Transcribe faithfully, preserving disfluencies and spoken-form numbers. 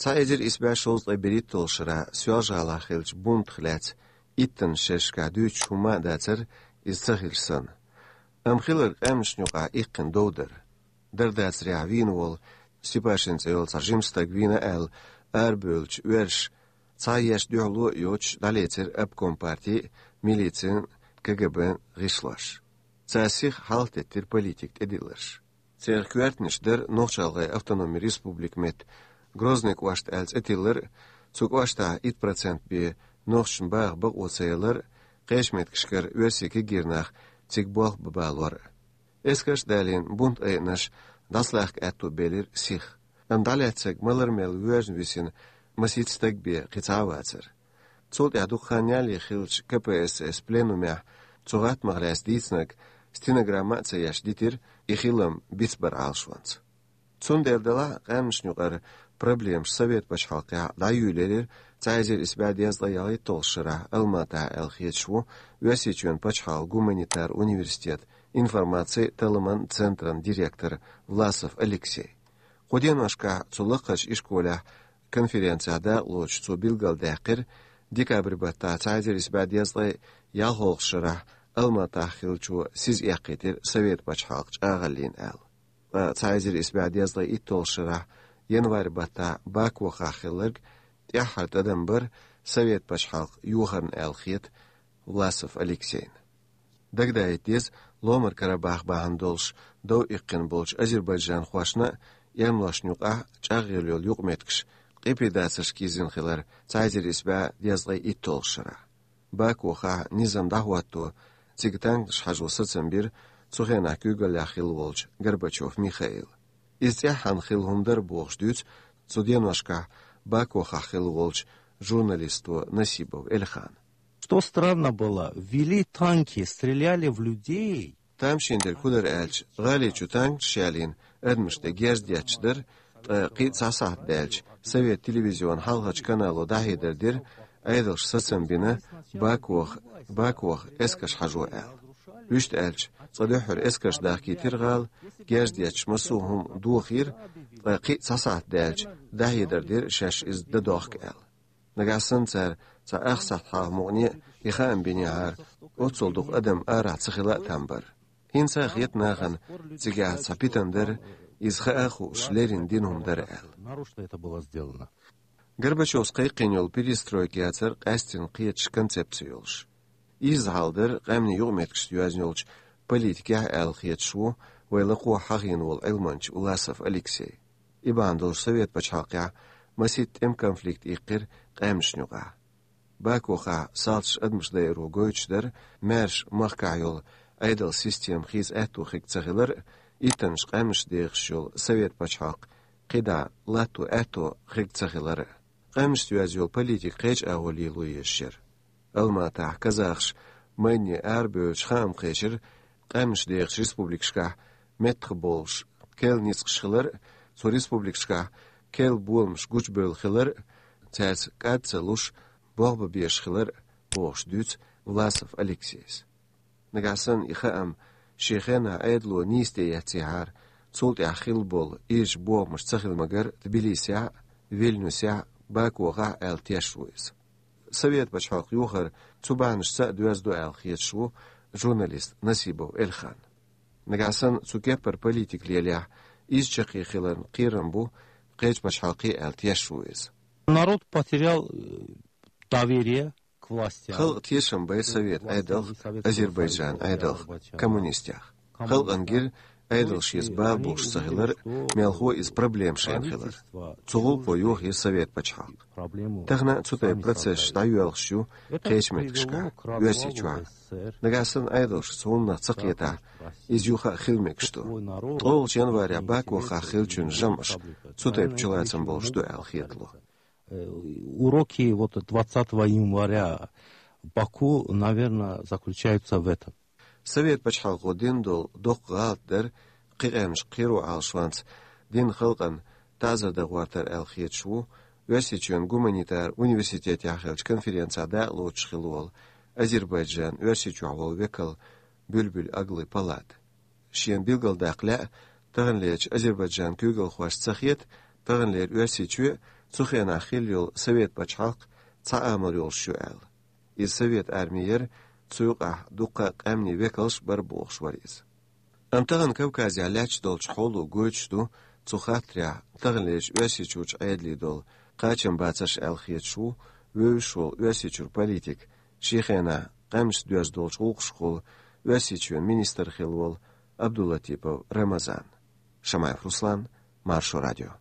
Цхьа эзар исс бӀаь шовзткъе берхӀитталгӀача шера Соьлжа-ГӀалахь хиллача бунтах лаьцна иттаннаш шерашкахь дуьйцуш хӀумма а дацар, иза ца хилча санна. Амма хилларг къаьмнашна юкъахь иккхина дов дара. Дар-дацарехь вийна волу Степашин цӀе йолу цхьа жима стаг вийна аьлла, арабевллачу оьрша цхьа еш дуьхьало а йоцуш дӀалецира обком партин а, милицин а, КГБ-н а гӀишлош. Цара сиха хьалхатеттира политикан тӀедилларш. Церан коьртанаш дара Нохч-ГӀалгӀайн автономи республика метта Грозный кӀошта аьлла цӀе тиллар а, цу кӀоштахь итт процент бен нохчашна баха бакъо ца ялар а, кхечу меттигашкара оьрсийн кегийра нах цига болх бан балор а. Эскарш а далийна, бунтан айъанаш дӀасалахка аьтто белира сиха. Амма дӀалаьцнарг ма-ларра мел воьжна висина масийтта стаг бен кхин цхьа а вацара. Цул тӀаьхьа дукха хан ялале хиллачу КПСС пленумехь цу гӀаттамах лаьцна дийцинарг стенограмма а ца еш дитира и хилам бицбар Ӏалашонца. Цундела делахь а къаьмнашна юкъара проблемаш Совет пачхьалкхехь дӀайолаелира цхьа эзар исс бӀе дезткъе ялхитталгӀачу шарахь Алматахь аьлла хеташ ву Оьрсийчоьнан пачхьалкхан гуманитар университетан информацин а, талламан а центран директор Власов Алексей. Кху деношкахь цу лакхарчу ишколехь конференцехь дакъалоцуш цо билгалдаьккхира, декабрь баттахь цхьа эзар исс бӀе дезткъе ялхолгӀачу шарахь Алматахь хиллачо сиз эккхийтира Совет пачхьалкх чӀагӀаллина аьлла. Ткъа цхьа эзар исс бӀе дезткъе итталгӀачу шарахь январь баттахь Бакохахь хилларг тӀаьххьара тӀадам бара Совет пачхьалкх йохарна аьлла хета Власов Алексейна. Дагадаийта деза, Ломара Карабах бахьана долуш дов иккхина болчу азербайджанхошна а, эрмалошна юкъахь а чӀагӀъелла йолу юкъаметтигаш, ткъе пхи дацарш кхийзина хилар цхьа эзар исс бӀе дезткъе итталгӀачу шарахь. Бакохахь низам дӀахӀотто, цига танкаш хьажо сацам бира цу хенахь куьйгаллехь хилла волчу Горбачев Михаила. Иза цӀеххьана хилла хӀума дара бохуш дуьйцу цу деношкахь Бакохахь хилла волчу журналисто Насибов Эльхана. Что странно было, вели танки, стреляли в людей. Тамашийна дерг хӀун дара аьлча, гӀали чу танкаш ялийна адамаш тӀе герз детташ дара, ткъа кхин а цхьа сахьт даьлча, Совет телевизионан хьалхарчу канало дӀахьедар дира, Ӏедалша сацам бина, Бакоха, Бакоха эскарш хьажо аьлла. Вуьшта аьлча, цкъа дуьххьара эскарш дахкийтира гӀала, герз детташ массо а хӀума дохийра, ткъа кхин а цхьа сахьт даьлча, дӀахьедар дира шаьш иза дан дохку аьлла. Нагахь санна цара цхьа ах сахьт хьалха мукъане а и хаам бинехьара, оццул дукха адам арахь ца хила а там бара. ХӀинца а хета нахана цигахь цхьа питана дара, иза хаа а хууш леррина дина хӀума дара аьлла. Нарочно это было сделано. Горбачевс кхайкхийна йолу перестройка яцара къаьсттина кхеташ концепци йолуш. Изза хьал дара къаьмнийн юкъаметтигашца йоьзна йолчу политикехь аьлла хеташ ву вай лакхахь хьахийна волу Ӏилманча Власов Алексей. И бахьана долуш Совет пачхьалкхехь масийтта тӀеман конфликт иккхира къаьмнашна юкъахь. Бакохахь салташа адамаш дайаро гойтуш дара, маьрша махкахь йолу Ӏедалан система хийца аьтто хирг ца хилар а, иттаннаш къаьмнаш дехаш йолу Совет пачхьалкх кхидӀа латто аьтто хирг ца хилар а. Къаьмнашца йоьзна йолу политика кхечу агӀор лело езаш яра. Алматахь казахаш майдане арабевлча хаам кхечира, къаьмнаш дехачу республикашкахь меттахбовлуш керла ницкъаш хилар а, цу республикашкахь керла боламаш гучубевлла хилар а, цаьрца кӀад ца луш, болх бан безаш хилар а, бохуш дуьйцу Власов Алексейс. Нагахь санна и хаам шен хенахь Ӏедало нийса тӀеэццехьара, цул тӀаьхьа хилла болу ирча бохамаш ца хила магар Тбилисехь а, Вильнюсехь а, Бакохахь а аьлла тешаш ву иза. Совет пачхьалкх йохар цу бахьанашца а доьзна ду аьлла хеташ ву журналист Насибов Эльхан. Нагахь санна цу кеппара политика лелахь, иза чаккхе хиларна кхерам бу кхечу пачхьалкхе аьлла тешаш ву иза. Народ потерял, э, доверие к властям. Халкъан тешам бай Совет Ӏедалх, Азербайджан Ӏедалх, коммунистех. Халкъана гира Ӏедал шеца бала болуш ца хилар, мелхо иза проблема шайна хилар. Цу гӀуллакхо йохийра Совет пачхьалкх. Тахана а цу тайпа процессаш дӀайоьлхуш ю кхечу меттигашкахь, Оьрсийчохь. Нагахь санна Ӏедалша цу хӀуманах ца кхетахь, иза юха а хила мегаш ду. ТкъолгӀачу январехь Бакохахь хиллачун жамӀаш цу тайпа чулацам болуш ду аьлла хетало. Э, уроки вот двадцатого января Баку, наверное, заключаются в этом. Совет пачхьалкхо дина долу доккха гӀалат дара кхин къаьмнашка кхеро Ӏалашонца дина халкъана таӀзар дан гӀортар аьлла хеташ ву Оьрсийчоьнан гуманитар университетехь хиллачу конференцехь дакъалоцуш хилла волу Азербайджан Оьрсийчохь волу векал Бюльбюль Аглы Палат. Шена билгалдаккха лаьа, таханлерчу Азербайджанан куьйгалхошна ца хета, таханлера Оьрсийчоь а, цу хенахь хилла йолу совет пачхьалкх цхьа амал йолуш ю аьлла. Иза совет арми яра, цу юкъахь дуккха а къаьмнийн векалш бара бохуш вара иза. Амма тахана Кавказехь лаьтташ долчу хьоло гойтуш ду цу хаттарехь таханлерчу Оьрсийчуьрчу Ӏедале долу кхачамбацарш аьлла хеташ ву вевзаш волу Оьрсийчуьра политик, шен хенахь къаьмнашца доьзна долчу гӀуллакхашкахула Оьрсийчоьнан министр хилла волу Абдулатипов Рамазан. Шамаев Руслан, Маршо радио.